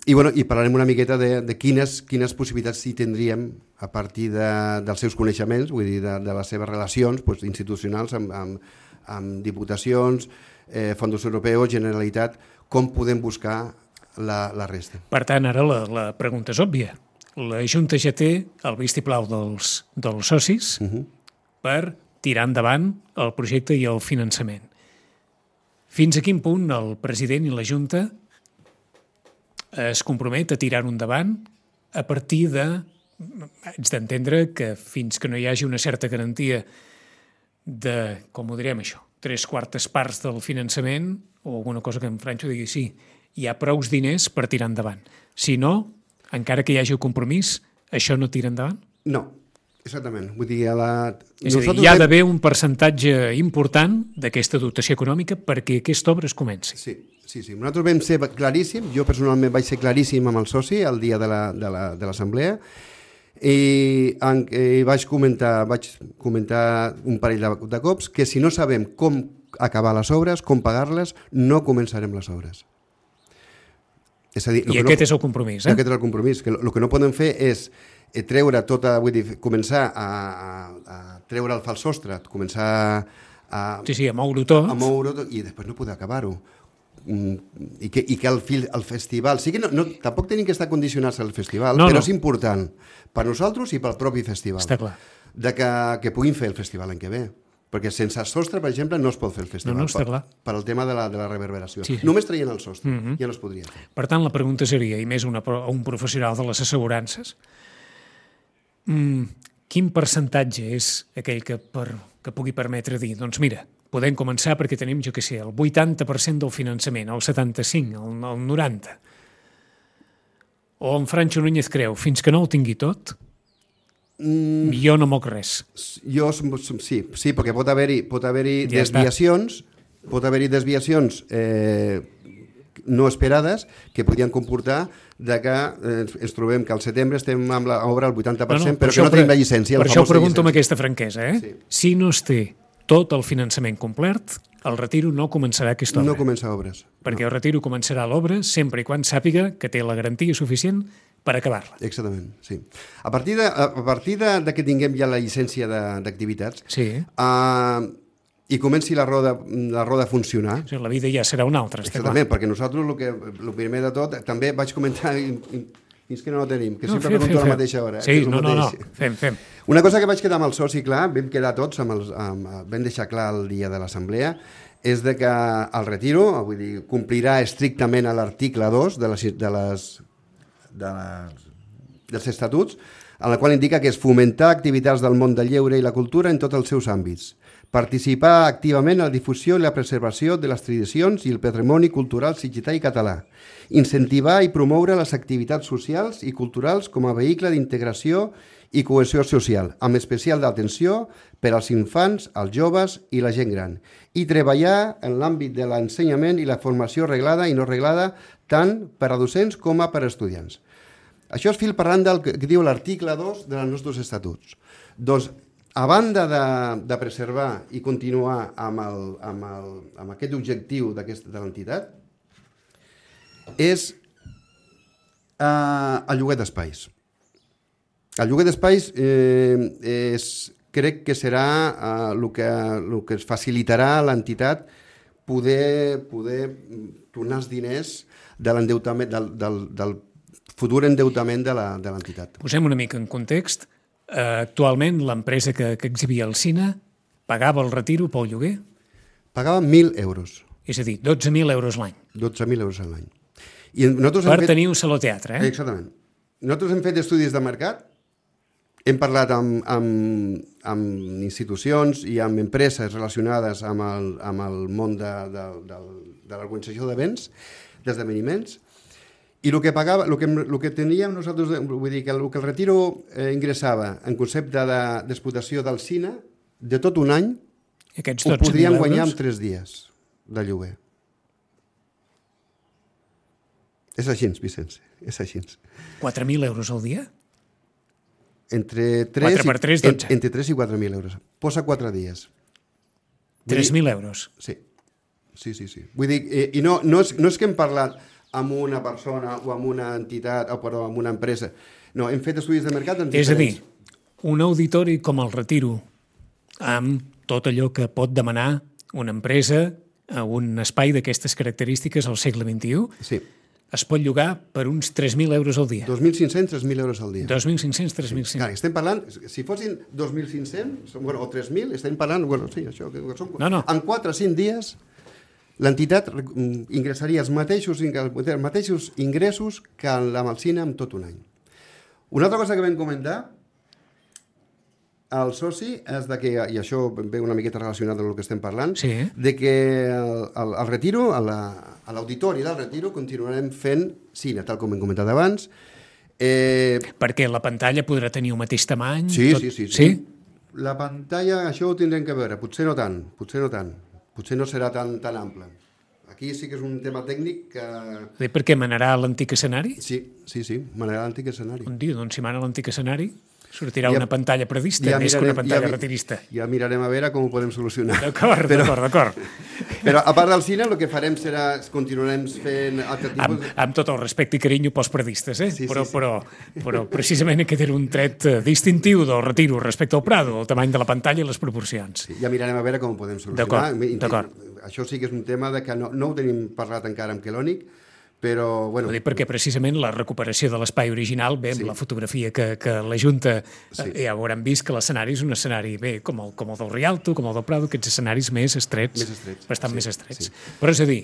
i, bueno, i parlarem una miqueta de, de quines, quines possibilitats hi tindríem a partir de, dels seus coneixements, vull dir, de, de les seves relacions pues, institucionals amb, amb, amb diputacions, eh, fons europeus, Generalitat, com podem buscar la, la resta. Per tant, ara la, la pregunta és òbvia. La Junta ja té el vistiplau dels, dels socis uh -huh. per tirar endavant el projecte i el finançament. Fins a quin punt el president i la Junta es compromet a tirar-ho endavant a partir de... Haig d'entendre que fins que no hi hagi una certa garantia de, com ho direm això, tres quartes parts del finançament o alguna cosa que en Francho digui sí, hi ha prous diners per tirar endavant. Si no, encara que hi hagi un compromís, això no tira endavant? No, exactament. Vull dir, a la... És a dir, hi ha d'haver un percentatge important d'aquesta dotació econòmica perquè aquesta obra es comenci. Sí, sí, sí. Nosaltres vam ser claríssim, jo personalment vaig ser claríssim amb el soci el dia de l'assemblea, la, i, en, i vaig comentar, vaig comentar un parell de, de cops que si no sabem com acabar les obres, com pagar-les, no començarem les obres. És a dir, I aquest no, és el compromís, eh? Aquest és el compromís, que el que no podem fer és treure tota, vull dir, començar a, a, a treure el fals sostre, començar a, sí, sí, a moure-ho tot. a moure tot i després no poder acabar-ho. I que, i que el, el festival... Sí que no, no, tampoc tenim que estar condicionats al festival, no, però no. és important per nosaltres i pel propi festival. Està clar. De que, que puguin fer el festival l'any que ve. Perquè sense sostre, per exemple, no es pot fer el festival. No, no, està clar. Per, per el tema de la, de la reverberació. Sí, sí. Només traient el sostre, uh-huh. ja no es podria fer. Per tant, la pregunta seria, i més una, un professional de les assegurances, mm, quin percentatge és aquell que, per, que pugui permetre dir, doncs mira, podem començar perquè tenim, jo què sé, el vuitanta per cent del finançament, el setanta-cinc, el, el noranta. O en Francho Núñez creu, fins que no ho tingui tot, Mm, jo no moc res. Jo, sí, sí, perquè pot haver-hi pot haver-hi Ja desviacions, pot haver-hi desviacions eh, no esperades que podien comportar de que eh, ens trobem que al setembre estem amb l'obra al vuitanta per cent, no, no, però que no tenim la llicència. Per la això ho pregunto llicència. amb aquesta franquesa. Eh? Sí. Si no es té tot el finançament complert, el retiro no començarà aquesta obra. No comença obres. Perquè no. el retiro començarà l'obra sempre i quan sàpiga que té la garantia suficient per acabar-la. Exactament, sí. A partir de, a partir de, de que tinguem ja la llicència d'activitats, sí. uh, i comenci la roda, la roda a funcionar. O sigui, la vida ja serà una altra. Exactament, perquè nosaltres, el, que, el primer de tot, també vaig comentar, fins que no ho tenim, que no, sempre fem, pregunto fem, a la mateixa hora. Sí, eh, no, no, no, fem, fem. Una cosa que vaig quedar amb el soci clar, vam quedar tots, amb els, amb, vam deixar clar el dia de l'assemblea, és de que el retiro, vull dir, complirà estrictament a l'article dos de les, de les, de les, dels estatuts, en la qual indica que és fomentar activitats del món del lleure i la cultura en tots els seus àmbits, participar activament en la difusió i la preservació de les tradicions i el patrimoni cultural occità i català, incentivar i promoure les activitats socials i culturals com a vehicle d'integració i cohesió social, amb especial d'atenció per als infants, els joves i la gent gran, i treballar en l'àmbit de l'ensenyament i la formació reglada i no reglada tant per a docents com a per a estudiants. Això és fil parlant del que diu l'article dos dels nostres estatuts. Doncs, a banda de, de preservar i continuar amb, el, amb, el, amb aquest objectiu de l'entitat, és eh, el lloguer d'espais. El lloguer d'espais eh, és, crec que serà eh, el, que, el que es facilitarà a l'entitat poder, poder tornar els diners de l'endeutament, del, del, del futur endeutament de l'entitat. Posem una mica en context. Uh, actualment, l'empresa que, que exhibia el cine pagava el retiro pel lloguer? Pagava mil euros. És a dir, dotze mil euros l'any. dotze mil euros l'any. Per fet... tenir un saló teatre, eh? Exactament. Nosaltres hem fet estudis de mercat, hem parlat amb, amb, amb institucions i amb empreses relacionades amb el, amb el món de, de, de, de l'organització d'events, d'esdeveniments, i el que pagava, el que, el que teníem nosaltres, vull dir que el, que el retiro eh, ingressava en concepte d'explotació del cine, de tot un any, ho podríem guanyar en tres dies de lloguer. És així, Vicenç, és així. quatre mil euros al dia? Entre tres, quatre per tres, dotze. Entre tres i quatre mil euros. Posa quatre dies. tres mil euros? Sí, sí, sí. sí. Vull dir, eh, i no, no, és, no és que hem parlat amb una persona o amb una entitat o perdó, amb una empresa. No, hem fet estudis de mercat en diferents. És a dir, un auditori com el Retiro, amb tot allò que pot demanar una empresa a un espai d'aquestes característiques al segle vint-i-u, sí. Es pot llogar per uns tres mil euros al dia. dos mil cinc-cents, tres mil euros al dia. dos mil cinc-cents, tres mil cinc-cents. Clar, estem parlant, si fossin dos mil cinc-cents bueno, o tres mil, estem parlant, bueno, sí, això, que són, no, no. en quatre o cinc dies l'entitat ingressaria els mateixos, els mateixos ingressos que amb el cine en tot un any. Una altra cosa que vam comentar al soci és de que, i això ve una miqueta relacionat amb el que estem parlant, sí. de que el, el, el retiro, a l'auditori del retiro, continuarem fent cine, tal com hem comentat abans. Eh... Perquè la pantalla podrà tenir el mateix tamany? Sí, tot... sí, sí, sí. sí. La pantalla, això ho tindrem que veure, potser no tant, potser no tant. Potser no serà tan, tan ample. Aquí sí que és un tema tècnic que... Bé, per què manarà l'antic escenari? Sí, sí, sí, manarà l'antic escenari. On diu, doncs si mana l'antic escenari, sortirà ja, una pantalla predista, ja més mirarem, que una pantalla ja, retirista. Ja mirarem a veure com ho podem solucionar. D'acord, però, d'acord, d'acord. Però a part del cine, el que farem serà, continuarem fent... Altre tipus... amb, amb tot el respecte i carinyo pels predistes, eh? Sí, però, sí, sí. Però, però precisament aquest era un tret distintiu del Retiro respecte al Prado, el tamany de la pantalla i les proporcions. Sí, ja mirarem a veure com ho podem solucionar. D'acord, d'acord. Això sí que és un tema de que no, no ho tenim parlat encara amb Kelònic, però... Bueno, ho dic perquè precisament la recuperació de l'espai original, bé, amb sí. la fotografia que, que la Junta sí. eh, ja hauran vist que l'escenari és un escenari, bé, com el, com el del Rialto, com el del Prado, aquests escenaris més estrets, més estrets bastant sí, més estrets. Sí. Però és a dir,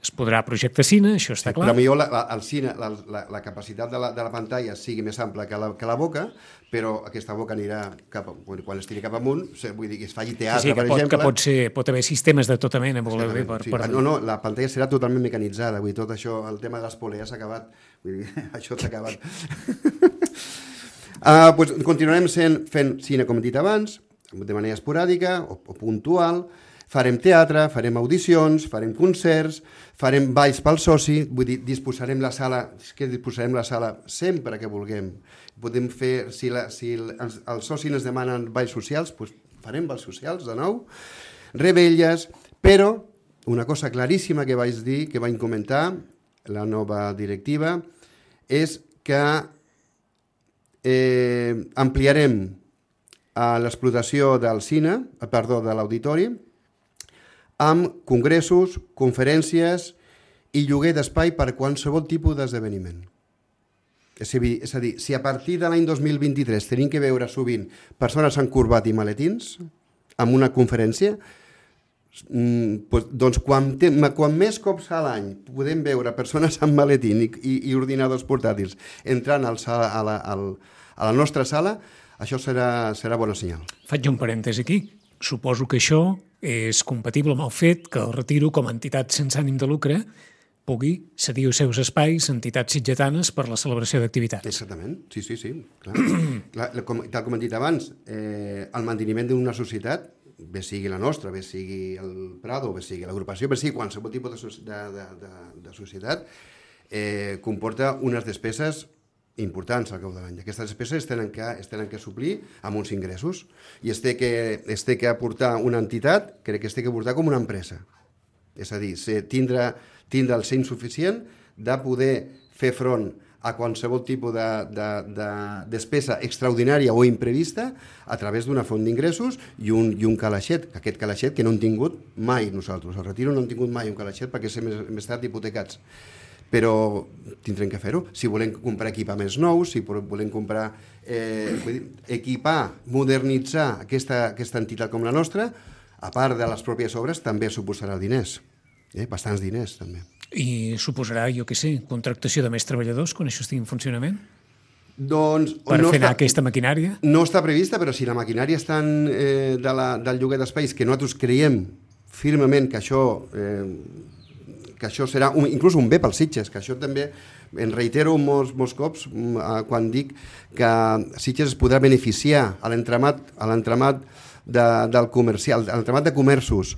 es podrà projectar cine, això està sí, clar. Però millor la, la, el cine, la, la, la capacitat de la, de la pantalla sigui més ampla que la, que la boca, però aquesta boca anirà cap, quan es tiri cap amunt, vull dir que es faci teatre, sí, sí, per pot, exemple. Que pot, ser, pot haver sistemes de tota mena, voleu dir. Per, sí. per... No, no, la pantalla serà totalment mecanitzada, vull dir, tot això, el tema de les polees s'ha acabat, vull dir, això s'ha acabat. Uh, pues continuarem sent, fent cine, com he dit abans, de manera esporàdica o, o puntual, farem teatre, farem audicions, farem concerts, farem balls pel soci, vull dir, disposarem la sala, és que disposarem la sala sempre que vulguem. Podem fer, si, la, si el, els, els socis ens demanen balls socials, doncs farem balls socials de nou, rebelles, però una cosa claríssima que vaig dir, que vaig comentar, la nova directiva, és que eh, ampliarem a l'explotació del cine, perdó, de l'auditori, amb congressos, conferències i lloguer d'espai per qualsevol tipus d'esdeveniment. És a dir, és a dir, si a partir de l'any dos mil vint-i-tres tenim que veure sovint persones amb corbat i maletins en una conferència, doncs, doncs quan, te, quan més cops a l'any podem veure persones amb maletín i, i, i ordinadors portàtils entrant al sala, a, la, al, a la nostra sala, això serà, serà bona senyal. Faig un parèntesi aquí. Suposo que això és compatible amb el fet que el Retiro, com a entitat sense ànim de lucre, pugui cedir els seus espais a entitats sitgetanes per la celebració d'activitats. Exactament, sí, sí, sí. Clar. Clar, com, tal com hem dit abans, eh, el manteniment d'una societat, bé sigui la nostra, bé sigui el Prado, bé sigui l'agrupació, bé sigui qualsevol tipus de, de, de, de, de societat, eh, comporta unes despeses importants al cap de l'any. Aquestes despeses es tenen que, es tenen que suplir amb uns ingressos i es té, que, es té que aportar una entitat, crec que es té que aportar com una empresa. És a dir, tindre, tindre el seny suficient de poder fer front a qualsevol tipus de, de, de despesa extraordinària o imprevista a través d'una font d'ingressos i un, i un calaixet, aquest calaixet que no hem tingut mai nosaltres. Al Retiro no hem tingut mai un calaixet perquè hem estat hipotecats. Però tindrem que fer-ho. Si volem comprar equipaments nous, si volem comprar, eh, vull dir, equipar, modernitzar aquesta, aquesta entitat com la nostra, a part de les pròpies obres, també suposarà diners. Eh? Bastants diners, també. I suposarà, jo què sé, contractació de més treballadors quan això estigui en funcionament? Doncs, per no fer anar està, aquesta maquinària? No està prevista, però si la maquinària està en, eh, de la, del lloguer d'espais, que nosaltres creiem firmement que això... Eh, que això serà un, inclús un bé pels Sitges, que això també, en reitero molts, molts cops eh, quan dic que Sitges es podrà beneficiar a l'entramat a l'entramat de, del comercial, a l'entramat de comerços,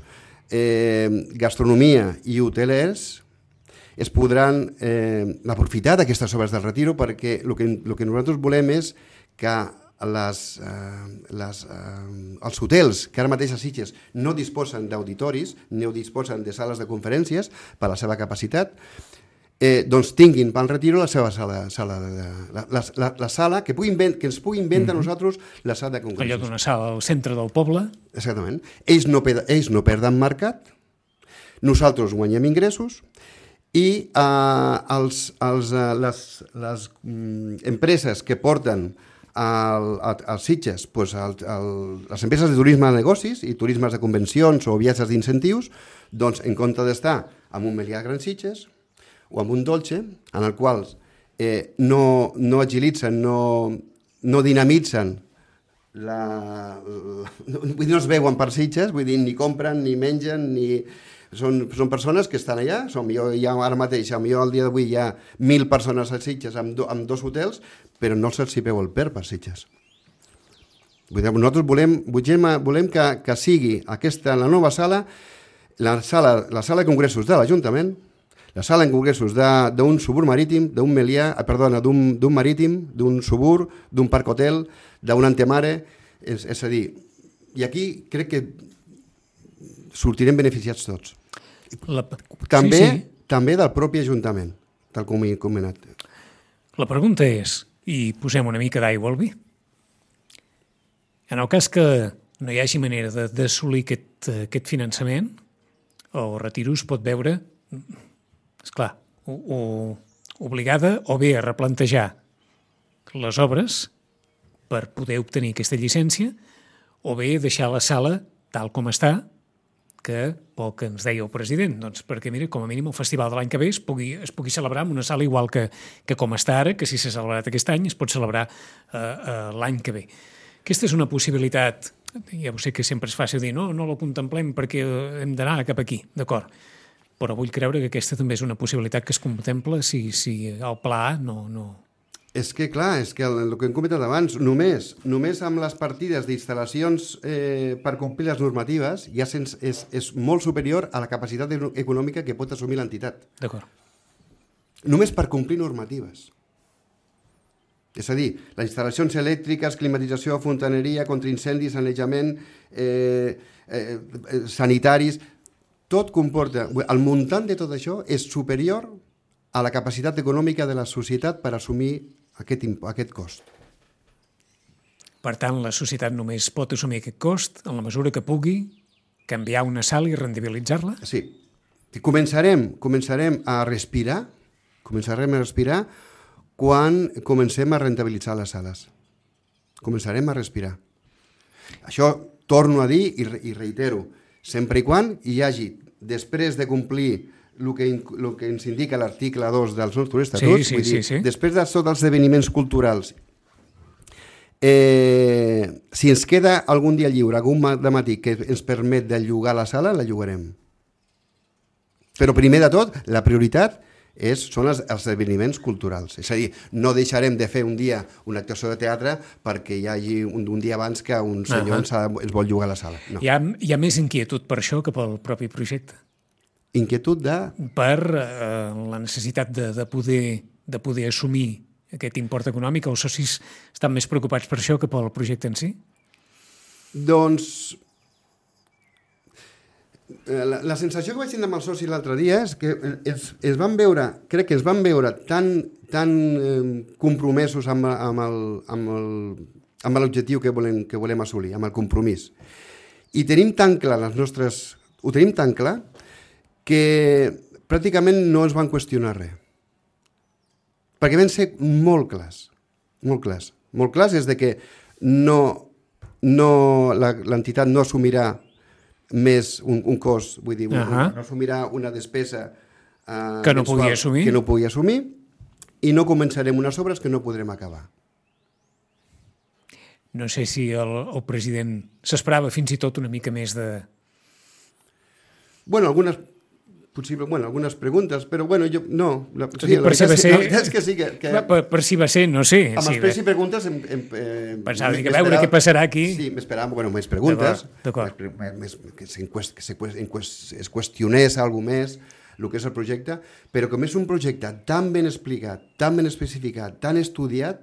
eh, gastronomia i hotelers, es podran eh, aprofitar d'aquestes obres del Retiro perquè el que, el que nosaltres volem és que les, eh, les, eh, els hotels que ara mateix a Sitges no disposen d'auditoris, no disposen de sales de conferències per la seva capacitat, eh, doncs tinguin pel Retiro la seva sala, sala de, la, la, la, la sala que, puguin ven, que ens puguin vendre a nosaltres la sala de congressos. Allò d'una sala al centre del poble. Exactament. Ells no, ells no perden mercat, nosaltres guanyem ingressos i eh, els, els, les, les mm, empreses que porten als Sitges, pues, el, el, les empreses de turisme de negocis i turismes de convencions o viatges d'incentius, doncs en compte d'estar amb un Melià Gran Sitges o amb un Dolce, en el qual eh, no, no agilitzen, no, no dinamitzen, la, la, no, vull dir, no es veuen per Sitges, vull dir, ni compren, ni mengen, ni... Són, són persones que estan allà, som, jo, ja ara mateix, jo al dia d'avui hi ha mil persones a Sitges amb, do, amb dos hotels, però no se'ls hi veu el per per Sitges. Vull dir, nosaltres volem, volem, volem que, que sigui aquesta, la nova sala, la sala, la sala de congressos de l'Ajuntament, la sala de congressos d'un subur marítim, d'un Melià, perdona, d'un marítim, d'un subur, d'un parc hotel, d'un Antemare, és, és a dir, i aquí crec que sortirem beneficiats tots. La... També, sí, sí. també del propi Ajuntament, tal com he comentat. La pregunta és, i posem una mica d'aigua al vi, en el cas que no hi hagi manera d'assolir aquest, aquest finançament, el Retiro es pot veure, esclar, o, o obligada o bé a replantejar les obres per poder obtenir aquesta llicència, o bé deixar la sala tal com està, que pel que ens deia el president, doncs perquè, mira, com a mínim el festival de l'any que ve es pugui, es pugui celebrar en una sala igual que, que com està ara, que si s'ha celebrat aquest any es pot celebrar eh, eh, l'any que ve. Aquesta és una possibilitat, ja ho sé que sempre és fàcil dir, no, no la contemplem perquè hem d'anar cap aquí, d'acord, però vull creure que aquesta també és una possibilitat que es contempla si, si el pla A no... no... És que, clar, és que el, el que hem comentat abans, només només amb les partides d'instal·lacions eh, per complir les normatives ja sens, és, és molt superior a la capacitat econòmica que pot assumir l'entitat. D'acord. Només per complir normatives. És a dir, les instal·lacions elèctriques, climatització, fontaneria, contraincendis, sanejament, eh, eh, sanitaris, tot comporta... El muntant de tot això és superior a la capacitat econòmica de la societat per assumir aquest, aquest cost. Per tant, la societat només pot assumir aquest cost en la mesura que pugui canviar una sala i rendibilitzar-la? Sí. Començarem, començarem a respirar, començarem a respirar quan comencem a rentabilitzar les sales. Començarem a respirar. Això torno a dir i, i reitero, sempre i quan hi hagi, després de complir el que, el que ens indica l'article dos dels nostres estatuts, sí, sí, vull dir, sí, sí. després de tots els esdeveniments culturals, eh, si ens queda algun dia lliure, algun matí que ens permet de llogar la sala, la llogarem. Però primer de tot, la prioritat és, són els, els esdeveniments culturals. És a dir, no deixarem de fer un dia una actuació de teatre perquè hi hagi un, un dia abans que un senyor uh -huh. ens, ens vol llogar la sala. No. Hi ha, hi ha més inquietud per això que pel propi projecte. Inquietud de... Per eh, la necessitat de, de, poder, de poder assumir aquest import econòmic. Els socis estan més preocupats per això que pel projecte en si? Doncs... La, la sensació que vaig tenir amb els socis l'altre dia és que es, es van veure, crec que es van veure tan, tan eh, compromesos amb, amb, el, amb, el, amb l'objectiu que volem, que volem assolir, amb el compromís. I tenim tan clar les nostres... Ho tenim tan clar que pràcticament no ens van qüestionar res. Perquè van ser molt clars, molt clars. Molt clars és de que no, no, l'entitat no assumirà més un, un cost, vull dir, uh -huh. no assumirà una despesa uh, que no pugui assumir. que no pugui assumir i no començarem unes obres que no podrem acabar. No sé si el, el president s'esperava fins i tot una mica més de... Bueno, algunes... Possible, bueno, algunes preguntes, però bueno, jo no. La, sí, la, per si va ser, la veritat és que sí que... que per, per si va ser, no sé. Amb sí, els pregs i preguntes... Em, em, eh, pensava que a veure què passarà aquí. Sí, m'esperava, bueno, més preguntes, d'acord, més, més, que, que se, es qüestionés alguna més el que és el projecte, però com és un projecte tan ben explicat, tan ben especificat, tan estudiat,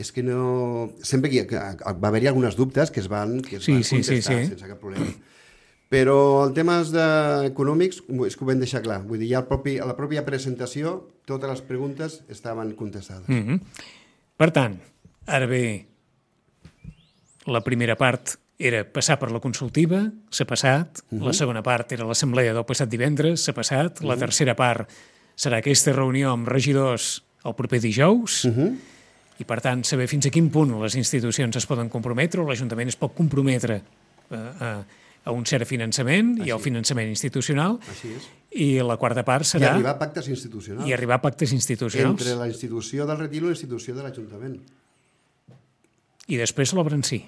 és que no... Sempre que, que va haver-hi algunes dubtes que es van, que es sí, van sí, contestar sí, sí. sense cap problema. Però en temes de econòmics és que ho vam deixar clar. Vull dir, ja propi, a la pròpia presentació totes les preguntes estaven contestades. Mm -hmm. Per tant, ara bé, la primera part era passar per la consultiva, s'ha passat. Mm -hmm. La segona part era l'assemblea del passat divendres, s'ha passat. La mm -hmm. tercera part serà aquesta reunió amb regidors el proper dijous. Mm -hmm. I, per tant, saber fins a quin punt les institucions es poden comprometre o l'Ajuntament es pot comprometre a... a a un cert finançament i al finançament institucional. Així és. I la quarta part serà... I arribar a pactes institucionals. I arribar a pactes institucionals. Entre la institució del Retir i la institució de l'Ajuntament. I després l'obra en si.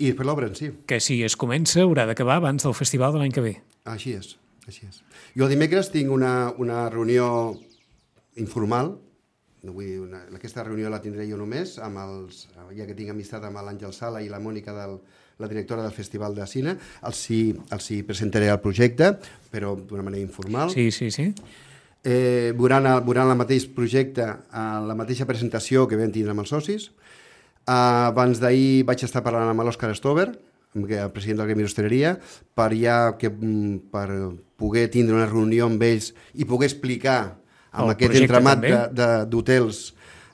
I després l'obra en si. Que si es comença haurà d'acabar abans del festival de l'any que ve. Així és, així és. Jo el dimecres tinc una, una reunió informal, no vull dir, una, aquesta reunió la tindré jo només, amb els, ja que tinc amistat amb l'Àngel Sala i la Mònica del la directora del Festival de Cine, els hi, els hi presentaré el projecte, però d'una manera informal. Sí, sí, sí. Eh, veuran, el, veuran el mateix projecte, eh, la mateixa presentació que vam tindre amb els socis. Eh, abans d'ahir vaig estar parlant amb l'Òscar Stover, el president del Gremi d'Hostaleria, per, ja, que, per poder tindre una reunió amb ells i poder explicar amb el aquest entramat d'hotels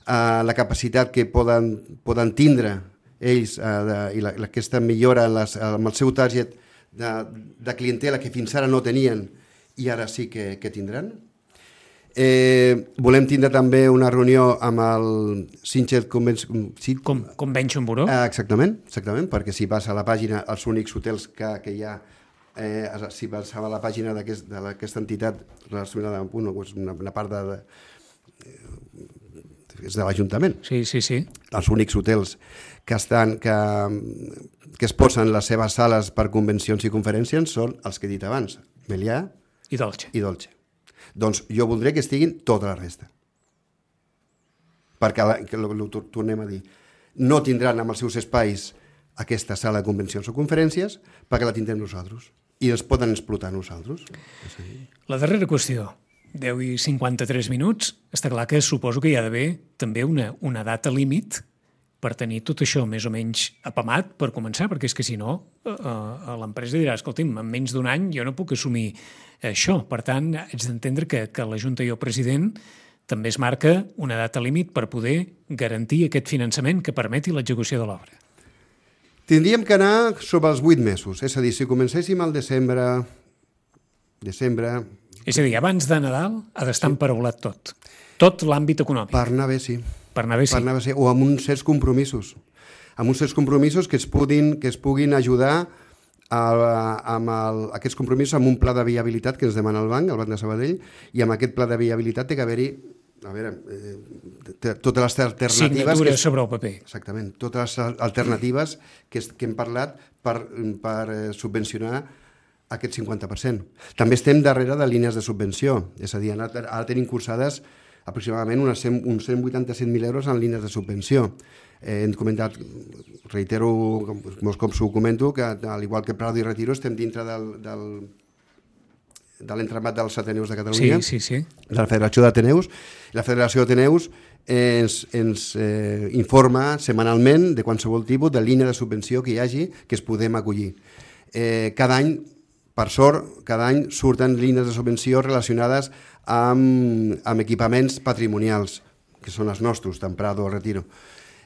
eh, la capacitat que poden, poden tindre ells, eh, de, i la, aquesta millora en les, amb el seu target de, de clientela que fins ara no tenien i ara sí que, que tindran. Eh, volem tindre també una reunió amb el Sitges Convention... Com, Convention Bureau. Eh, exactament, exactament, perquè si vas a la pàgina, els únics hotels que, que hi ha, eh, si vas a la pàgina d'aquesta aquest, entitat relacionada amb una, una, una part de... de és de l'Ajuntament. Sí, sí, sí. Els únics hotels que, estan, que, que es posen les seves sales per convencions i conferències són els que he dit abans, Melià i Dolce. I Dolce. Doncs jo voldré que estiguin tota la resta. perquè, la, que ho tornem a dir, no tindran amb els seus espais aquesta sala de convencions o conferències perquè la tindrem nosaltres i els poden explotar nosaltres. La darrera qüestió, deu i cinquanta-tres minuts, està clar que suposo que hi ha d'haver també una, una data límit per tenir tot això més o menys apamat per començar, perquè és que si no eh, l'empresa dirà, escolti'm, en menys d'un any jo no puc assumir això. Per tant, haig d'entendre que, que la Junta i el president també es marca una data límit per poder garantir aquest finançament que permeti l'execució de l'obra. Tindríem que anar sobre els vuit mesos, és a dir, si comencéssim al desembre... desembre... És a dir, abans de Nadal ha d'estar emparaulat tot. Tot l'àmbit econòmic. Per anar bé, sí. Per anar bé, sí. Per anar bé, sí. O amb uns certs compromisos. Amb uns certs compromisos que es puguin, que es puguin ajudar a, amb el, aquests compromisos amb un pla de viabilitat que ens demana el banc, el Banc de Sabadell, i amb aquest pla de viabilitat té que haver-hi a veure, eh, totes les alternatives... Signatures que, sobre el paper. Exactament, totes les alternatives que, que hem parlat per, per eh, subvencionar aquest cinquanta per cent. També estem darrere de línies de subvenció, és a dir, ara, ara tenim cursades aproximadament unes cent, uns cent vuitanta-set mil euros en línies de subvenció. Eh, hem comentat, reitero molts cops ho comento, que al igual que Prado i Retiro estem dintre del, del, de l'entramat dels Ateneus de Catalunya, sí, sí, sí. de la Federació d'Ateneus. La Federació d'Ateneus ens, ens eh, informa setmanalment de qualsevol tipus de línia de subvenció que hi hagi que es podem acollir. Eh, cada any, per sort, cada any surten línies de subvenció relacionades amb, amb equipaments patrimonials, que són els nostres, tant Prado o Retiro.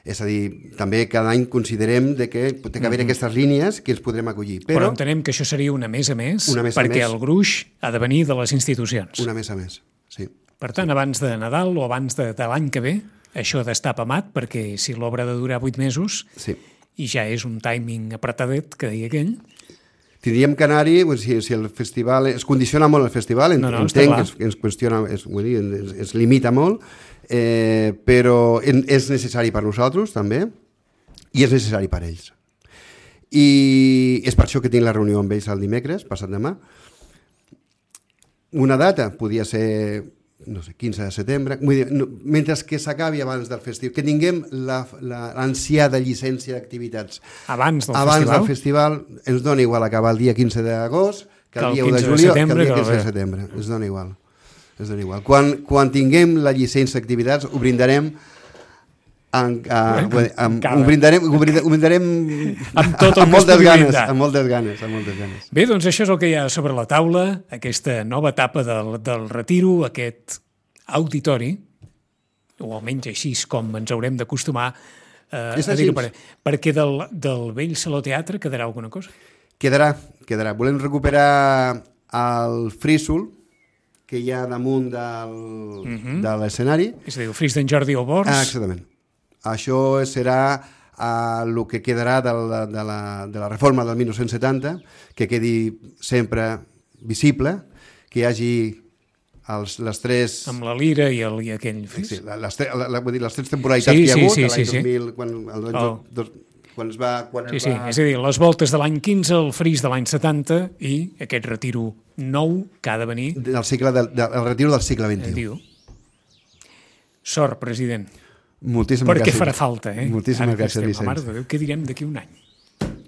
És a dir, també cada any considerem de que té que haver mm-hmm. aquestes línies que ens podrem acollir. Però, Però entenem que això seria una més a més, una més perquè a més, el gruix ha de venir de les institucions. Una més a més, sí. Per tant, abans de Nadal o abans de, de l'any que ve, això ha d'estar apamat, perquè si l'obra ha de durar vuit mesos, sí. i ja és un timing apretadet, que deia aquell, tindríem que anar-hi, si, si el festival... Es condiciona molt el festival, no, no, entenc que es, ens qüestiona, es, vull dir, es, es limita molt, eh, però en, és necessari per nosaltres, també, i és necessari per ells. I és per això que tinc la reunió amb ells el dimecres, passat demà. Una data podia ser, no sé, quinze de setembre, vull dir, no, mentre que s'acabi abans del festival, que tinguem l'ansiada llicència d'activitats. Abans del abans festival? del festival ens dona igual acabar el dia quinze d'agost que el, que el dia u de quinze de juliol, setembre, que el dia quinze de setembre. Ens dona igual. Ens dona igual. Quan, quan tinguem la llicència d'activitats ho brindarem en, uh, amb, ho brindarem, ho brindarem, ho brindarem amb, tot el amb, moltes ganes, amb moltes ganes, amb moltes ganes. Bé, doncs això és el que hi ha sobre la taula, aquesta nova etapa del, del Retiro, aquest auditori, o almenys així com ens haurem d'acostumar eh, a dir-ho, per, perquè del, del vell Saló Teatre quedarà alguna cosa? Quedarà, quedarà. Volem recuperar el frísol que hi ha damunt del, uh-huh. de l'escenari. És a dir, el fris d'en Jordi Albors. Ah, exactament. Això serà uh, el que quedarà de la, de, la, de la reforma del dinou setanta, que quedi sempre visible, que hi hagi els, les tres... Amb la lira i, el, i aquell fris. Sí, les, la, la, vull dir, les tres temporalitats sí, que hi ha sí, hagut, sí, l'any sí, dos mil, quan, el, oh. dos, quan es va... Quan sí, es sí, va... és a dir, les voltes de l'any quinze, el fris de l'any setanta i aquest retiro nou que ha de venir... Del cicle, del, del, el retiro del segle vint-i-u. Sort, president. Moltíssimes perquè gràcies. farà falta, eh? Moltíssimes gràcies, Vicenç. Mare de Déu, què direm d'aquí un any?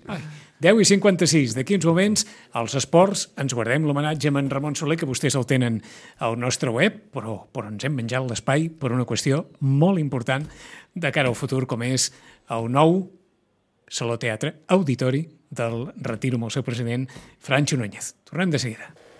Ai, deu i cinquanta-sis, d'aquí uns moments, als esports, ens guardem l'homenatge a en Ramon Soler, que vostès el tenen al nostre web, però, però ens hem menjat l'espai per una qüestió molt important de cara al futur, com és el nou Saló Teatre Auditori del Retiro amb el seu president, Francho Núñez. Tornem de seguida.